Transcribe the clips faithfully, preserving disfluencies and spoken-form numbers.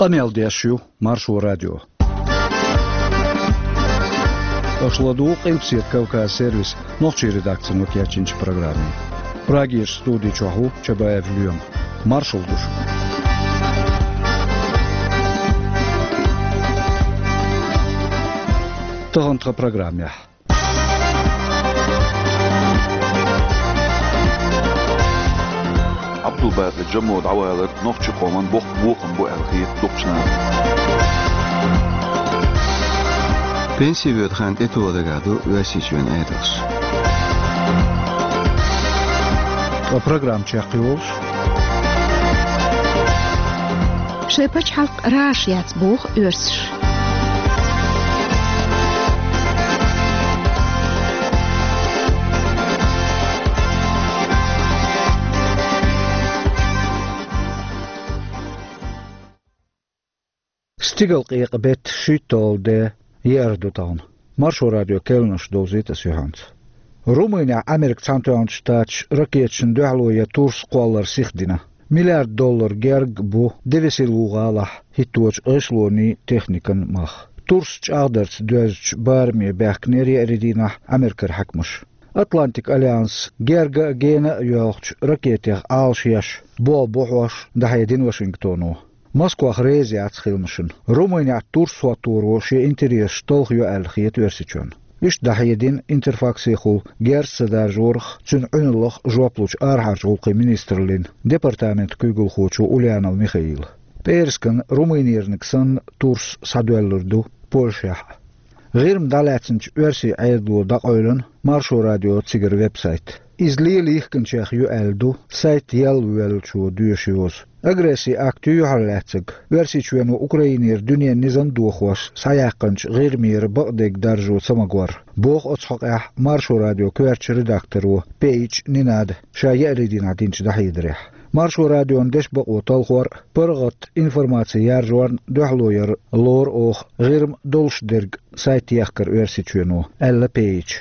Къамел деш ю Маршо радио. Аша ладугӀу Къилбаседа Кавказ сервисан нохчийн редакцино кечйинчу программе. Прагерчу студи чохь ву Чабаев Лоьма. Маршалла ду шуьга. Тахана тхан программехь. Ӏабдулбакъи Джамо дӀавалар нохчийн къоман боккха бохам бу аьлла хета дукхачу наха. Пенси воьду хан тӀетоха дагахь ду Оьрсийчоьнан Ӏедалш. Ткъа программа чекхйолуш: шайн пачхьалкх раша яц, боху оьрсаша. Стигалкъекъа беттан шийтталгӀа де, еара ду тахана. Маршо радион керланаш довзуьйту аса юьхьанца. Румынехь Америкин Цхьаьнатоьхначу Штаташа ракеташна дуьхьало ян турс кхоллар сихдина. Миллиард доллар герга бу Девесилу гӀалахь хӀитточу гӀишлонийн техникан мах. Турс чӀагӀдарца доьзначу бараме баьхкинера еарин дийнахь Америкера хьаькамаш. Атлантикан альянс герга а, гена а йоьлхучу ракетех Ӏалашъеш, болх бу хьош, дӀахьедина Вашингтоно. Москох реза яц хиламашна. Румынехь турс хӀотторо шен интересаш талхайо аьлла хета Оьрсийчоьнна. Иштта дӀахьедина Интерфаксехула герз ца даржорах, цуьнан Ӏуьналлах жоп лучу арахьарчу гӀуллакхийн министраллин департаментан куьйгалхочо Ульянов Михаила. ПӀераскан Румынерниг санна турс схьадоьллур ду Польшехь а. ГӀирма дӀалаьцначу оьрсийн Ӏедало дӀакъевлина Маршо радион цигара веб-сайт. Иза лела йихкинчех ю аьлла ду сайт ялла воьллачо доьшу йоза. Агрессин акт ю юьхьарлаьцнарг Оьрсийчоьно Украинера дуьненан низам дохош схьаяьккхинчу ГӀирмера бакъдерг даржо ца магор, боху оцу хьокъехь Маршо радион коьртачу редакторо Пейч Нинада ша еарин дийнахь динчу дӀахьедарехь. Маршо радион дешан бакъо талхор а, паргӀат информаци яржорна дуьхьало яр а лору оха ГӀирма долуш дерг сайт ехкар Оьрсийчоьно, аьлла Пейча.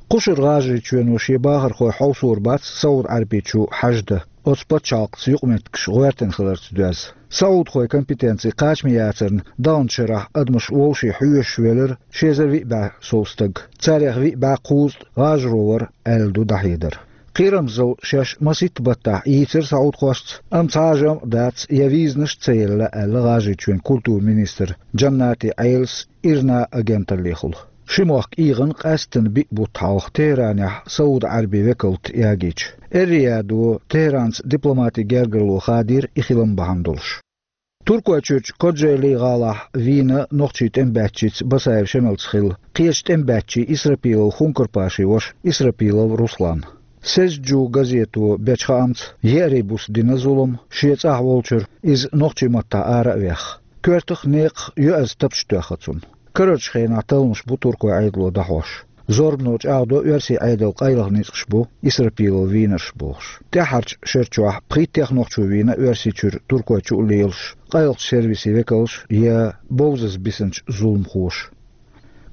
Кхушара ГӀажарийчоьно шен бахархой хьовсор бац СаӀуд-Ӏаьрбийчу хьаждан, оцу пачхьалкхаца юкъаметтигаш гӀоьртина хиларца доьзна. СаӀудхойн компетенци кхачаме яцарна, даханчу шарахь адамаш вовшийн хьоьжуш велира ши эзар виъ бӀе сов стаг. Царех виъ бӀе кхузткъа гӀажаро вара, аьлла ду дӀахьедар. Кхерамзалла шаьш масийтта баттахь ийцира саӀудхошца, амма цхьа а жамӀ дац я визанаш а ца елла, аьлла ГӀажарийчоьнан культуран министра Джаннати Ӏелас ИРНА агенталлехула. Ши мохк ийгӀина къаьсттина биъ бутт хьалха Техранехь СаӀуд-Ӏаьрбийн векалат ягийча. Эр-Риядо Техранца дипломатин гергарло хадийра и хилам бахьана долуш. Туркойчуьрчу Кожегьли-гӀалахь вийна нохчийн тӀемабаьччица Басаев Шемалца хилла кхечу тӀемабаьччийн Исрапилов Хункар-Пашин ваша Исрапилов Руслан. «Сезджу» газето бечу хаамца, еарин буса дина зулам шен цӀахь волчуьра иза нохчийн маттахь ара а вехна. Коьртах а, некъах а йоьаза тапча тоьхна цунна. Карарчу хенахь талламаш бу туркойн Ӏедало дӀахьош. Зорбано чӀагӀдо оьрсийн Ӏедалан къайлаха ницкъаш бу Исрапилов вийнарш бохуш. ТӀаьххьарчу шера чохь пхийттех нохчо вийна Оьрсийчуьра Туркойчу а лелаш, къайлахчу сервисийн векалш я бовзаза бисинчу зуламхоша.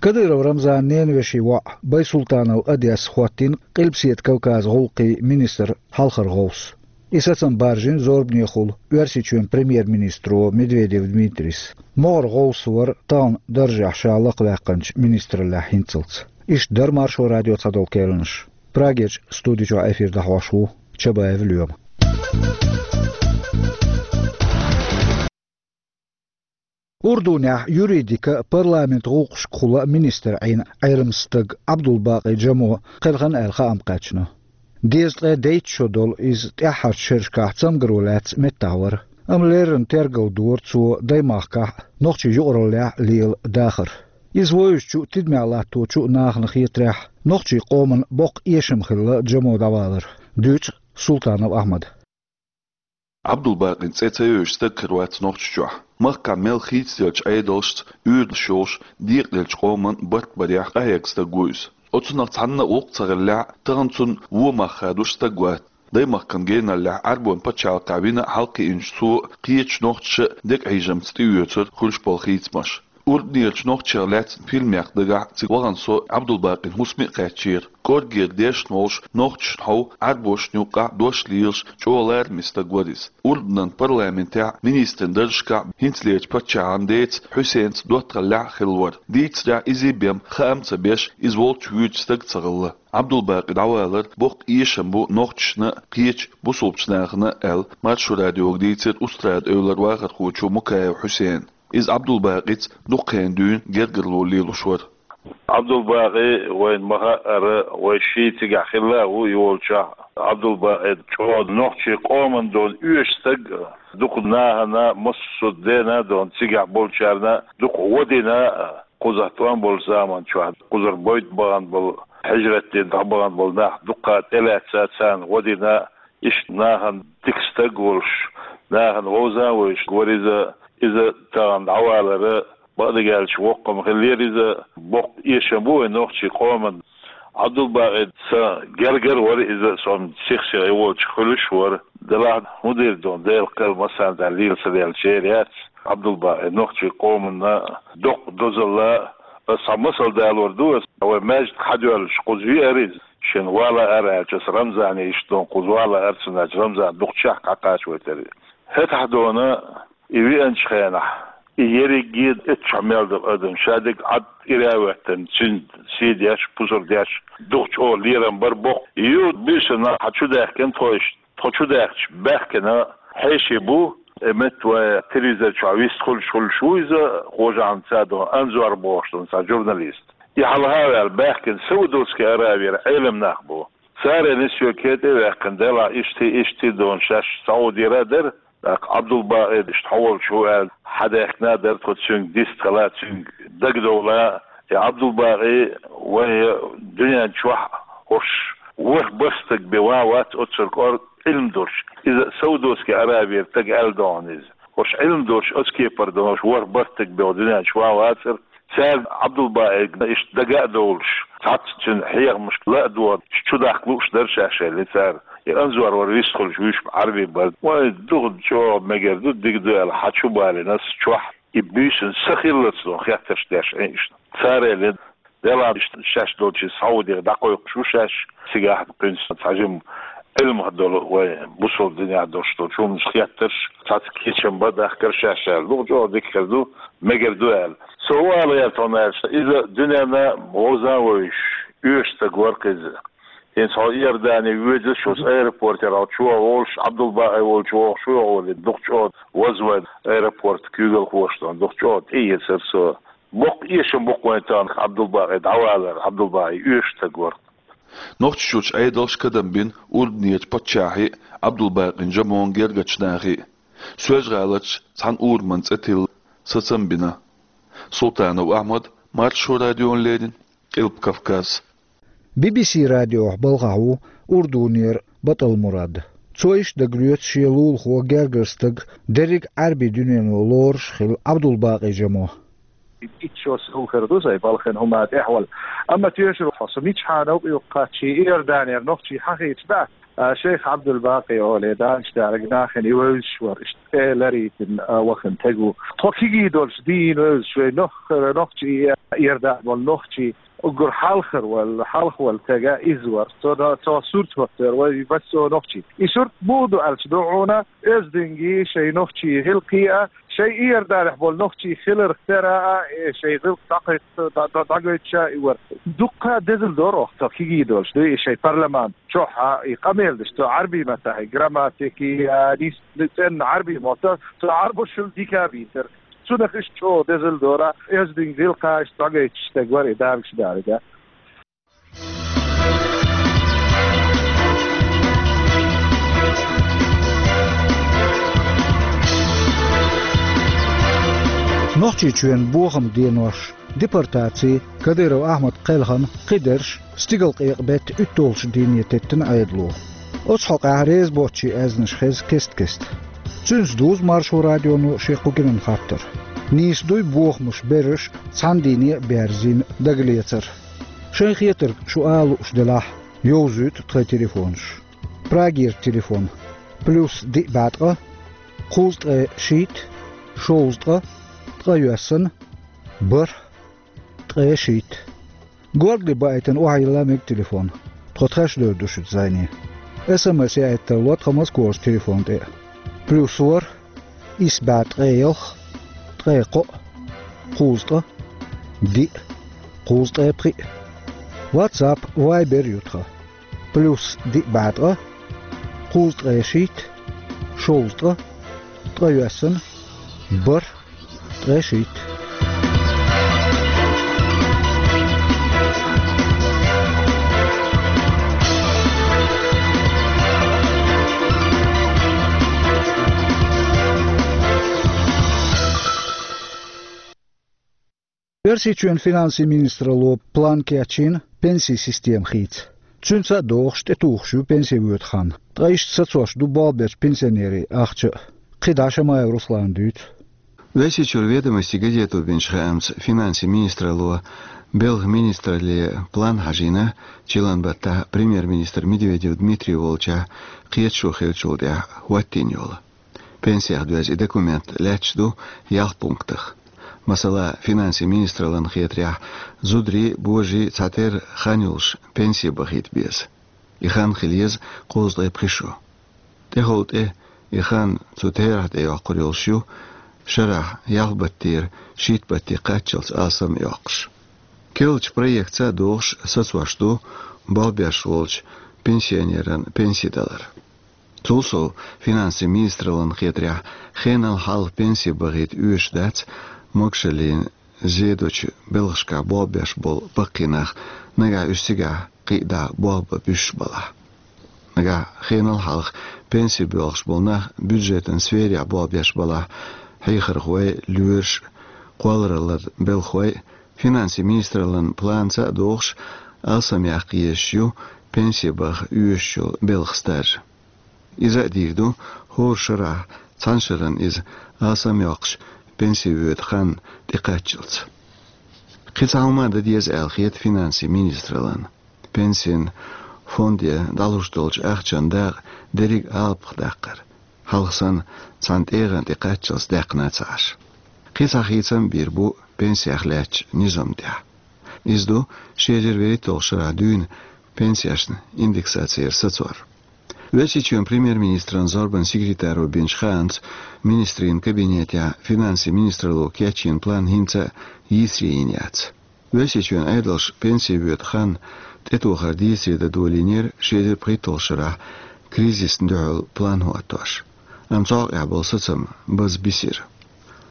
Кадыров Рамзанан ненан вешин воӀ Байсултанов Одес хӀоттийна Къилбаседа Кавказан гӀуллакхийн министран хьалхара гӀовс. И сацам баржийна зорбанехула Оьрсийчоьнан премьер-министро Медведев Дмитрийс. МогӀара гӀовс вара тахана даржехь ша лакхаваьккхинчу министраллехь хӀинццалц. Иштта дара Маршо радион цхьадолу керланаш. Прагерчу студи чохь эфир дӀахьош ву Чабаев Лоьма. Урдунехь юридикан а, парламентан гӀуллакхашкахула а министр Ӏийна Ӏеламстаг Ӏабдулбакъи Джамо кхелхина аьлла хаам кхаьчна. Дезткъе дейтта шо долу иза тӀаьххьарчу шерашкахь цамгаро лаьцна меттахь вара, амма леррина тергал дора цо Даймахкахь а, нохчийн юкъараллехь а лела дахар. Иза вевзачу а, тидамехь латточу а нахана хетарехь, нохчийн къоман боккха эшам хилла Джамо дӀавалар, дуьйцу Султанов Ахьмада. Ӏабдулбакъин цӀе ца йоьдуш стаг хир вац Нохчийчохь. Махкахь мел хийцаделлачу Ӏедалшца оьрдаш йолуш, декъаделлачу къоман барт барехь къахьегна стаг ву иза. Оцунах цхьанна а гӀуллакх ца хиллехь, тахана цунна вон мах хадош стаг вац. Даймахкана геналлехь Ӏаьрбойн пачхьалкхехь вина а хьалакхиъначу цо кхечу нохчаша а декъа хьежамца тӀеоьцура хуьлуш болу хийцамаш. Урданерчу нохчех лаьцна фильмех дагахь цига вахана со Ӏабдулбакъин хӀусаме а кхаьчнера. КӀоргера дешна волуш, нохчашна хьовха, Ӏаьрбошна юккъехь дош лелаш, чӀогӀа лараме стаг вара иза. Урданан парламентехь, министран даржашкахь хӀинцалерчу паччахьан деца Хьусенца доттагӀаллехь а хилла вара. Дийцарехь, иза бен хаам а ца беш, иза волчу вуьйцу стаг ца хилла. Ӏабдулбакъи дӀавалар боккха эшам бу нохчашна а, кхечу бусалбачу нахана а аьлла, Маршо радиога дийцира Устрада-Эвлара вахархочо Мукаев Хьусена. Иза Ӏабдулбакъица дукха хенахь дуьйна гергарло лелош вара. Ӏабдулбакъи вайна ма-хаъара, вай шиъ цигахь хилла а ву и волчохь. Ӏабдулбакъи чӀогӀа нохчийн къоман дона оьшу стаг, дукха нахана, массо а дена а дона, цигахь болчарна дукха гӀо дина, кхузахь тӀом болчу заман чохь, кхузара бойта бахана болу, хьижрат дина дӀабахана болу нах дуккха тӀелаьцна, царна гӀо дина, иштта нахана дика стаг волуш, нахана вовза а вевзаш вара иза. Иза тахана дӀавалар бакъдерг аьлча воккха хӀума хиллера иза, боккха эшам бу вайн нохчийн къоман. Ӏабдулбакъи сан гергара вара иза, со-м сих-сиха и волчу хуьлуш а вара. Делахь хӀун дийр ду, Делан кхел массарна а лела ца деллачеран яц. Ӏабдулбакъи нохчийн къоманна доккха дозалла, аса цхьа масал далор ду аса, вай маьждиг хьадоьллуш кхуза веара иза. Шена вала ара аьлча, аса Рамзане иштта дона кхуза вала ара, ца аьлча, Рамзан дукха чехка хьакхачавайтара. ХӀетахь дона, и веанчу хенахь, и ерриге а эццахь мел долу адам, ша дерг Ӏад ира а хӀоьттина, цуьнан сий деш, пусар деш, дукха чӀогӀа лерам бар боккха. Юха буьйсанна хьан чу даьхкина тхо иштта, тхо чу даьхча, баьхкина хьеший бу, и метта вайн телевизор чохь вистхуьлуш хуьлуш ву иза, хожахьна ца дон, Анзор бохуш дон цхьа журналист. И хьалха а ваьлла, баьхкина Саудовский Аравера Ӏелам нах бу. Цара нисве кхетӀе а ваьккхина, делахь иштта, иштта дона шаьш Саудера а дара, тӀаккха Ӏабдулбакъи иштта хьо волчу ву аьлла, хьадаьхкина а дара, тхо цуьнга дистхила, цуьнга дагадовла. И Ӏабдулбакъи вайн дуьнен чохь хӀорш ворхӀ бархӀ стаг бен ван вац оццул кӀорга Ӏилма долуш. Иза Саудовский Аравера стаг аьлла догӀу иза. ХӀорш Ӏилма долуш, оцу кепара долуш ворхӀ бархӀ стаг бен дуьнен чохь ван вацара. Цаьрга Ӏабдулбакъига иштта дага а довлуш, цхьацца цуьнан хьехамашка ла а догӀуш, чудаккха лууш дара шаьш аьлла цара. И Анзор вара вистхуьлуш вуьйш Ӏарбий бара. Вай дукха чӀогӀа мегар ду, дика ду аьлла, хьан чу балийна аса чохь, и буьйсанна са хиллалц дон хеттарш деш Ӏин иштта. Цара элира, делахь иштта шаьш долчу Саудера дӀакхойкхуш ву шаьш, цигахь кхуьнца цхьа жима Ӏилмах долу, вай бусалба динехь долуш долчу хӀуманаш хеттарш, цхьацца кечам бан дахкара шаьш аьлла. Дукха чӀогӀа дика хир ду, мегар ду аьлла. Со хӀун ала гӀерта хьуна аьлча, иза дуьненна вовза а вевзаш, оьшу стаг вара-кх иза. ХӀинца хьо Иордане воьдуш, оцу аэропортера хьо чу а волуш, Ӏабдулбакъи волчу вогӀуш ву хьо олий, дукха чӀогӀа вазвай аэропорт куьйгалхоша дон, дукха чӀогӀа тӀеэцара со. Боккха эшам бу-кх вайн тахана Ӏабдулбакъи дӀавалар, Ӏабдулбакъи оьшу стаг вара. Нохчийчуьрчу Ӏедалша кадам бина урданерчу паччахье а, Ӏабдулбакъин Жамон гергарчу нахе а. Соьлжа-ГӀаларчу цхьана ураман цӀе тилла сацам бина. Султанов Ахьмад, Маршо радиона леррина, Къилба Кавказ. Би би си радиохь балхахь ву урданера БатӀал Мурад. Цо иштта дагалоьцу шен лулахо гергара стаг дерриг Ӏаьрбийн дуьнено лоруш а хилла Ӏабдулбакъи Жамо. Итт шо сов хир ду сайн балхана хӀума тӀехь вала. Амма тоьшалла хьо, со мичахьа новкъа юккъе кхаьчча, Иорданера нохчий хьахийча, а, шайх Ӏабдулбакъи олий, Дала шен дерг нахана и вевзаш вара, иштта цӀе ларийна, а, вахана стаг ву. Тхо кегий долуш дийна вевзаш вай нох-, нохчий, Иордане болу нохчий, уггар хьалхара вала, хьалха вала стаг иза вара. Цо, цо сурт хӀоттера вай массо а нохчий. И сурт муха ду аьлча ду хьуна, оьздангаллий шайн нохчий гӀиллакхе а, шайн Иорданехь болу нохчий хиларх тера а, э, шайн гӀиллакх дӀакхайкхийта, дӀа-, дӀа-, дӀагойтуш а и вара. Дуккха дезал дора оха, тхо кегий долуш дуй и шайн парламент чохь а, и къамел деш, цо Ӏаьрбийн маттахь и грамматика, а, дис-, цӀенна Ӏаьрбийн мотт, цо Ӏаьрбошна дика а бийцира. Цунах иштта чӀогӀа дезал дора, оьздангаллий гӀиллакхаш дӀагойтуш стаг вара и, Дала шен дерг а. Нохчийчоьнан бохаман денош, депортаци, Кадыров Ахьмад кхелхина кхидерш стигалкъекъа беттан уьтталгӀачу дийне теттина Ӏедало. Оцу хьокъехь реза боцчийн аьзнаш хеза кест-кеста. Цуьнца дузу Маршо радионо шен кху генан хаттар. Нийса дуй бохамаш берриш цхьана дийне а берзийна дагалецар? Шайн хетарг шу ала лууш делахь, йовзуьйту тхайн телефонаш. Прагера телефон: плюс диъ бӀе ткъа, кхузткъе шийтта, шовзткъа, ткъе йоьссана, бархӀ, ткъе шийтта. Горгали баийтина охьайилла мега телефон. Тхо тхаьш девр ду шуьца зӀене. СМС яийта тарло тхан Москварчу телефон тӀе: плюс ворхӀ, исс бӀе ткъе ялх, ткъе кхоъ, кхузткъа, диъ, кхузткъе пхиъ. WhatsApp, Viber ю тхан: плюс диъ бӀе ткъа, кхузткъе шийтта, шовзткъа, ткъайоьсна, бархӀ, ткъе шийтта. Оьрсийчоьнан финансийн министралло план кечйина пенсийн система хийца. Цуьнца а догӀуш, тӀетухуш ю пенсе воьду хан. Ткъа иштта сацош ду болх бечу пенсионерийн ахча а. КхидӀа Шамаев Руслана дуьйцу. Оьрсийчуьра «Ведомости» газето бинчу хаамца, финансийн министралло белхан министралле план хьажийна, чиллан баттахь премьер-министр Медведев Дмитрий волчохь кхеташо хиллачул тӀаьхьа хӀоттийна йолу. Пенсех доьзна и документ лаьтташ ду ялх пунктах. Масала, финансийн министраллина хетарехь, зударий, божарий цхьатерра хан йолуш пенсе бахийта беза. И хан хила еза кхузткъе пхи шо. ТӀехула тӀе и хан цу терахь тӀе йоккхур йолуш ю, шарахь ялх баттера шийтта батте кхаччалц алсам а йоккхуш. Керлачу проектца а догӀуш, сацош ду болх беш волчу пенсионеран пенси далар. Цул сов, финансийн министраллина хетарехь, хенал хьалха пенси бахийта оьшуш дац могушаллина зе долчу белхашкахь болх беш болу баккхий нах, нагахь уьш цигахь кхидӀа болх бан буьсуш балахь. Нагахь хенал хьалха пенси боьлхуш болу нах бюджетан сферехь болх беш балахь, хьехархой, лоьраш, кхоллараллин белхахой, финансийн министраллин планца а догӀуш, алсам яккха езаш ю пенси баха оьшуш йолу белхан стаж. Иза а дийр ду, хӀора шарахь цхьана шарна иза алсам йоккхуш пенсе воьду хан тӀекхаччалц. Кхин цхьа хӀума дан деза аьлла хета финансийн министраллина. Пенсийн фонде дӀалуш долчу ахчан дакъа дерриг а алапах даккхар. Хьалха санна, цхьана тӀегӀан тӀе кхаччалц даьккхина ца Ӏаш. Кхин цхьа хийцам а бийр бу пенсех лаьттачу низам тӀехь. Иза ду ши эзар вуьрхӀитталгӀачу шарахь дуьйна пенсешна индексацияра сацор. Оьрсийчоьнан премьер-министран зорбанан секретаро бинчу хаамца, министрийн кабинетехь финансийн министралло кечйина план хӀинца а йийсаре йина яц. Оьрсийчоьнан Ӏедалша пенси воьду хан тӀетохар дийцаре дан долийнера ши эзар пхийтталгӀачу шарахь кризисна дуьхьал план хӀоттош. Амма цу хьокъехь болу сацам база бисира.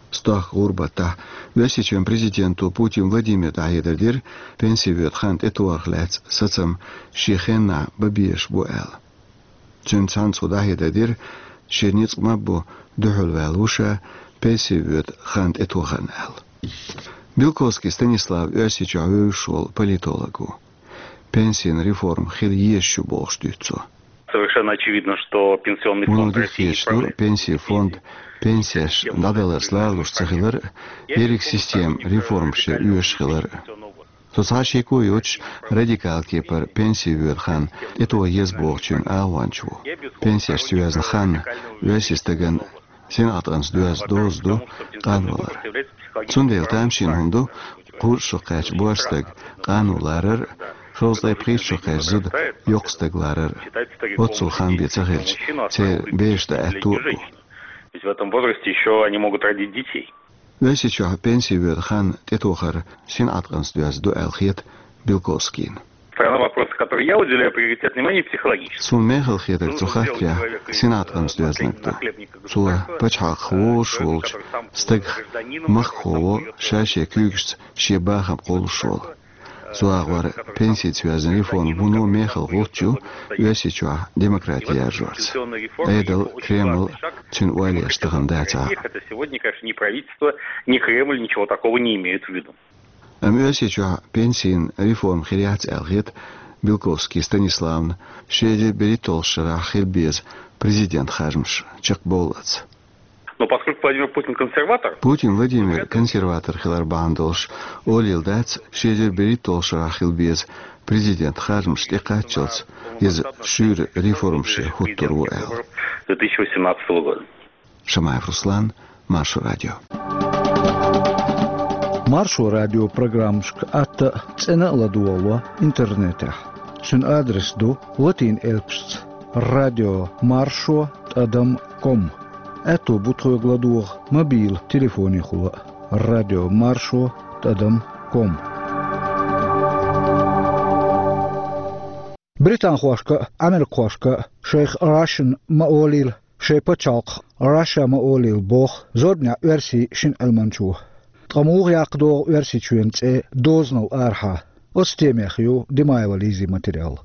Стохка гӀуран баттахь Оьрсийчоьнан президенто Путин Владимире дӀахьедар дира, пенси воьду хан тӀетохарх лаьцна сацам шен хеннахь бан безаш бу аьлла. Цуьнца цхьаьна цо дӀахьедар дира, шен ницкъ ма-ббу дуьхьалваьлла ву ша пенси воьду хан тӀетохарна аьлла. Белковский Станислав Оьрсийчохь вевзаш волу политолог ву. Пенсийн реформа хила езаш ю бохуш дуьйцу цо. Совершенно очевидно, что пенсионный фонд России не справляется с... Вуно дика хеташ ду, пенсийн фонд пенсеш дӀадаларца ларалуш ца хилар а, ерриг система реформашца оьшуш хилар а. Со цхьа а шеко йоцуш радикал кепара пенси воьду хан тӀетоха еза бохучуьнан агӀонча ву. Пенсешца йоьзна хан оьрсийн стагана синӀаткъамца доьзна доза ду къанвалар. Цундела тамашийна хӀума ду кхузткъа шо кхаьчна боьрша стаг къано ларар а, шовзткъе пхийтта шо кхаьчна зуда йоккха стаг ларар а. Оццул хан бен ца хилча, церан бераш дан аьтто а бу. Ведь в этом возрасте ещё они могут родить детей. Оьрсийчохь пенси воьду хан тӀетохар синӀаткъамца доьзна ду аьлла хета Белковскийна. Второй вопрос, который я уделяю приоритет внимания, психологический. Суна мехала хетарг цу хаттарехь синӀаткъамца доьзнарг ду. Цо пачхьалкхах вовзуш волчу стагах махкахо во, ша-шен куьйгашца шен бахам кхуллуш волу. Цу агӀор пенсица йоьзна реформа вуно мехала гӀулч ю Оьрсийчохь демократи яржорца. Ӏедал, Кремль цуьнан ойла еш тахана дацахь а. Это сегодня, конечно, ни правительство, ни Кремль ничего такого не имеют в виду. Амма Оьрсийчохь пенсийн реформа хир яц аьлла хета Белковский Станиславна, ши эзар берхӀитталгӀачу шарахь хила беза президентан харжамаш чекхбовллалц. Но поскольку Владимир Путин консерватор... Путин Владимир консерватор хилар бахьана долуш, олийла дац ши эзар берхӀитталгӀачу шарахь хила беза президентан харжамаш тӀекхаччалц, иза шуьйра реформашца хӀуттур ву аьлла. Две тысячи восемнадцатого года. Шамаев Руслан, Маршо радио. Маршо радио программашка атта а, цӀена а ладогӀало интернетехь. Цуьнан адрес ду латин элпашца: радио маршо тӀадам ком. Аьтто бу тхоьга ладогӀа мобил телефонехула а: радио маршо тӀадам ком. Британхошка а, америкахошка а шайх Russian ма олийла, шайн пачхьалкхах Russia ма олийла боху зорбанехь оьрсийн шина Ӏилманчо. Ткъа муха яккха догӀу Оьрсийчоьнан цӀе дозанал арахьа? Оцу темех ю Димаева Лизин материал.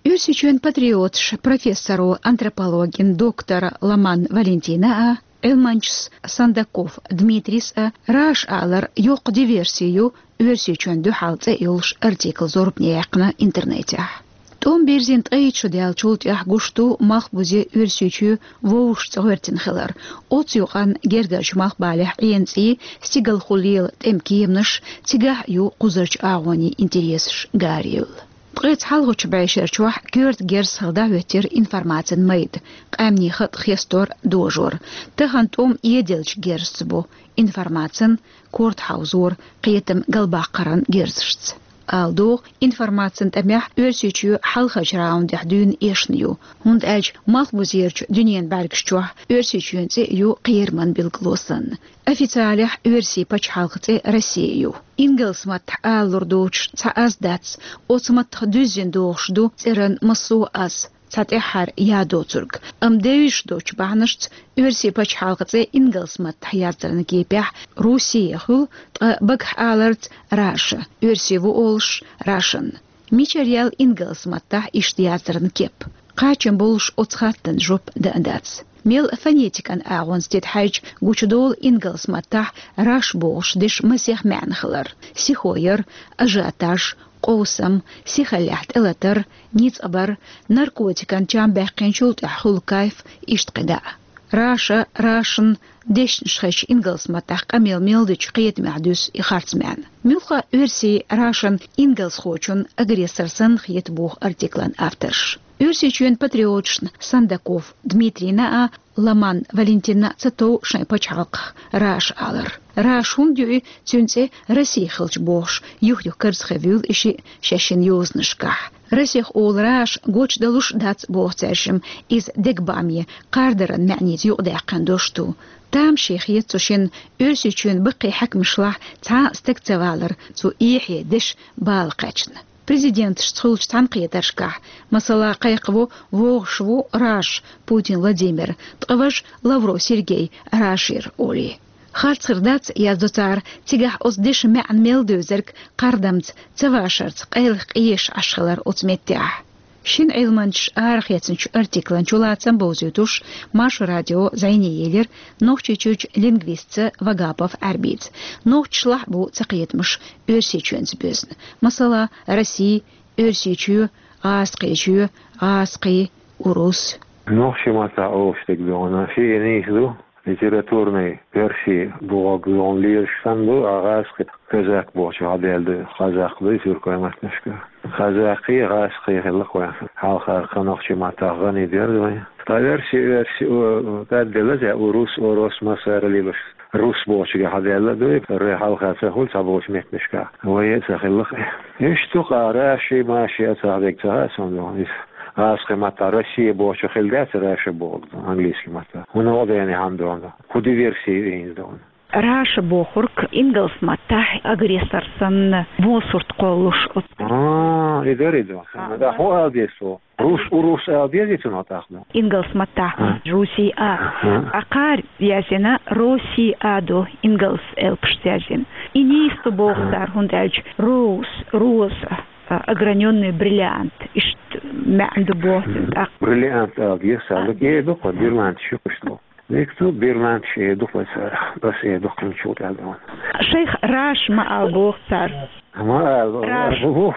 Оьрсийчоьнан патриоташ профессоро, антропологин доктора Ломан Валентина а, Ӏилманчас Сандаков Дмитрийс а «Раша» алар йоккха диверси ю, Оьрсийчоьнна дуьхьал цӀе йолуш артикл зорбане яьккхина интернетехь. ТӀом бирзина ткъе итт шо даьллачул тӀаьхьа гуш ду Малхбузе Оьрсийчоь вовшашца гӀоьртина хилар. Оцу юкъанна гергарчу Малхбалехь Ӏена цӀий, стигалхо лела тӀеман кеманаш, цигахь а ю кхузарчу агӀонийн интересаш гарайевлла. Ткъеца хьалхарчу бӀешерчохь коьрта герз хилла дӀахӀоьттира информацин майда, къаьмнийн хатӀ хестор, дожор. Тахана тӀом эделлачу герзаца бу, информацин, корта хьовзор, кхетам галбаккхаран герзашца. Ала догӀу, информацин тӀамехь Оьрсийчоь хьалхарчу раундехь дуьйна эшна ю, хӀунда аьлча Малхбузерчу дуьненан бӀаьргаш чохь Оьрсийчоьнан цӀе ю кхераман билгало санна. Официалехь оьрсийн пачхьалкхан цӀе Россия ю. Ингалс маттахь алалур доцуш цхьа аз дац, оцу маттах дуьззина догӀуш ду цӀеран массо а аз, цхьа тӀаьххьара я доцург, амма девзаш доцучу бахьанашца оьрсийн пачхьалкхан цӀе ингалс маттахь яцаран кепехь Россия хуьлу, ткъа багахь аларца Раша, оьрсийн ву олуш, Russian. Мичара яьлла ингалс маттахь иштта яцаран кеп? Кхачам болуш оцу хаттарна жоп дан а дац. Мел фонетикан агӀонца тидхьаьжча, гучудолу ингалс маттахь Раш бохуш дешан масех маьӀна хилар: сихо яр, ажиотаж, къовсам, сихаллехь тӀелатар, ницкъ бар, наркотикан чам баьккхинчул тӀаьхьа хуьлу кайф, иштта кхидӀа а. Раша, Russian дешнаш хезча, ингалс маттахь къамел мел дечу кхетамехь дуьсу и харц маьӀна. Муьлхха а оьрсийн Russian ингалсхочун агрессор санна хета боху артиклан авторша. Оьрсийчоьнан патриоташна Сандаков Дмитрийна а, Ломан Валентинна а ца тов шайн пачхьалкхах Раша алар. Раша хӀунда юй, цуьнан цӀе Россия хилча бохуш, юх-юх карзахвуьйлу и шиъ шаьшшиннан йозанашкахь. Расех олу Раша гочдалуш дац боху цаьршимма, иза дегабааме, кхардаран маьӀница юкъадаьккхина дош ду. Тамаше хета цу шинна Оьрсийчоьнан баккхий хьаькамашлахь цхьа а стаг ца валар, цу эхье дешан бала кхаьчна. Президенташца хуьлучу цхьаьнакхетаршкахь, масала, кхайкхаво: «ВогӀуш ву Раша, Путин Владимир, ткъа важа Лавров Сергей Рашера», олий. Харц хир дац, яздо цара, цигахь оцу дешан маьӀна мел девзарг кхардамца, ца вашарца къайлаха къеша Ӏаш хилар оцу меттехь. Шина Ӏилманчаша арахецначу артиклан чулацам бовзуьйтуш, Маршо радио зӀене елира Нохчийчуьрчу лингвистца Вагапов Ӏаьрбица. Нохчашлахь а бу цакхетамаш Оьрсийчоьнца боьзна. Масала, Россия, Оьрсийчоь, ГӀазкхечоь, гӀазкхий, урус. Нохчийн маттахь олуш дерг дуьйна шиъ нийса ду, литературный версий бохург дуьйна лелаш санна ду, а гӀазкхи, казак бохучу хьадаьлла ду, хазакх ду и тюркойн маттанашка. Хазакхий, гӀазкхий хилла-кх вайн. Хьалхара кху нохчийн маттахь гӀани дера вайн. Ткъа версий, версий, о, тӀадделла, зе, урус, орос, массара лелаш. Рус бохучуьнга хьадаьлла а дуй, ре хьалха ца хуьлу цхьаболчу меттанашкахь. Вай а ца хилла-кх. Иштта ду-кх, а, раши, маши а ца хьадерг ца хаьа суна дуьйна. Иза гӀазкхи маттахь Россия бохучух хилла дац, Раша бохург дуьйна, английский маттахь. ХӀунда гӀо дена хьан дуьйна? ХӀун диверси ю иза дуьйна? Раша бохург ингалс маттахь агрессор санна, бо сурт кхоллуш оцу. А, и дара и ду. А, да, хӀун ала деза цо? Рус, урус ала дезий цунах тӀаккха? Ингалс маттахь. А. Руси а. А. А кхара яздина Росси а ду, ингалс элпашца яздина. И нийса ду боху цара, хӀунда аьлча роуз, роза, а, огранённый бриллиант, иштта маьӀна ду боху цуьнан тӀаккха. Бриллиант ала деза цара, а, э ду-кх, бриллиант шу иштта. Векал берланча э ду-кх вай царах, ас э ду-кх хӀинца чу тӀаьхьа дуьйна. Шайх Раш ма ала боху цара. Ма ала, Раш. Ву,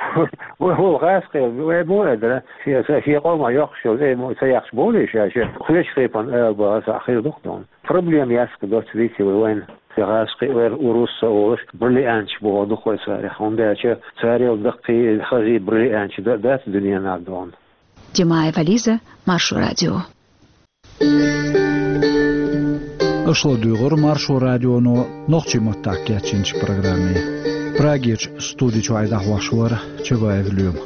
ву, ву, гӀазкхи, вай мо а дара, шен, ша, шен къоман йоккхуш йолу, э, мо, ца яхча болий ша, ша, кхечу тайпана ала боху, аса хир ду-кх дуьйна. Проблема яц-кх доцца дийци вай вайна. Ша гӀазкхи, вай урус а олуш, бриллианча боху ду-кх вай царах. ХӀунда аьлча царел даккхий, хазий бриллианча да-, дац дуьненахь дуьйна. Димаева Лиза, Маршо радио. Аша ладугӀура Маршо радионо нохчийн маттахь кечйинчу программе. Прагерчу студи чуьра дӀахьош вара Чабаев Лоьма.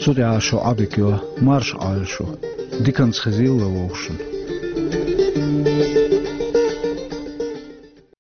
Цу тӀехь шун Ӏодика йо марша Ӏойла шу. Диканца хезийла вовшашна.